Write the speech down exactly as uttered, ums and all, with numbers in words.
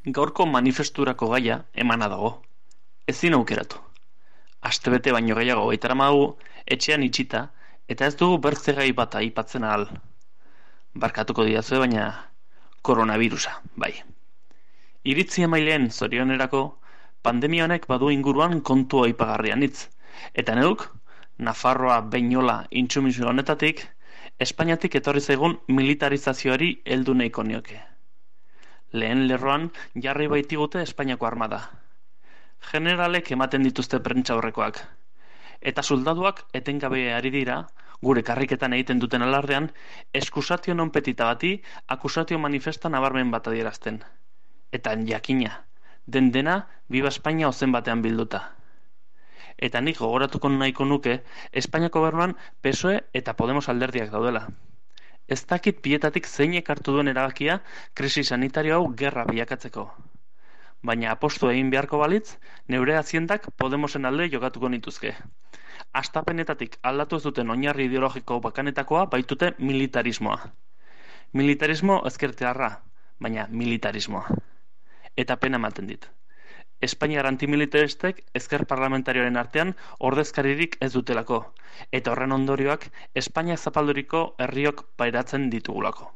Gaurko manifesturako gaia emana dago. Ezin aukeratu. Astebete baino gehiago baitaramagu etxean itxita eta ez dugu bertze gai bat aipatzen ahal. Barkatuko didazue baina koronavirusa, bai. Iritzi emaileen zorionerako pandemia honek badu inguruan kontu aipagarrian hitz. Eta neuk, Nafarroa Beñola intsumisu honetatik, Espainiatik etorri zaigun militarizazioari heldu nahiko nioke. Lehen lerroan jarri baitigute Espainiako armada. Generalek ematen dituzte prentsaurrekoak. Eta soldaduak etengabe ari dira, gure karriketan egiten duten alardean, eskusatio non petita bati akusatio manifesta nabarmen bat adierazten. Eta jakina, den dena Viva Espainia ozen batean bilduta. Eta nik gogoratuko nahiko nuke Espainiako gobernuan P S O E eta Podemos alderdiak daudela. Ez dakit bietatik zeinek hartu duen erabakia krisi sanitario hau gerra bilakatzeko. Baina apostu egin beharko balitz, neure haziendak Podemosen alde jokatuko nituzke. Astapenetatik aldatu ez duten oinarri ideologiko bakanetakoa baitute militarismoa. Militarismo ezkertiarra, baina militarismoa. Eta pena ematen dit. Espainiar antimilitaristek ezker parlamentarioaren artean ordezkaririk ez dutelako, eta horren ondorioak Espainiak zapalduriko herriok pairatzen ditugulako.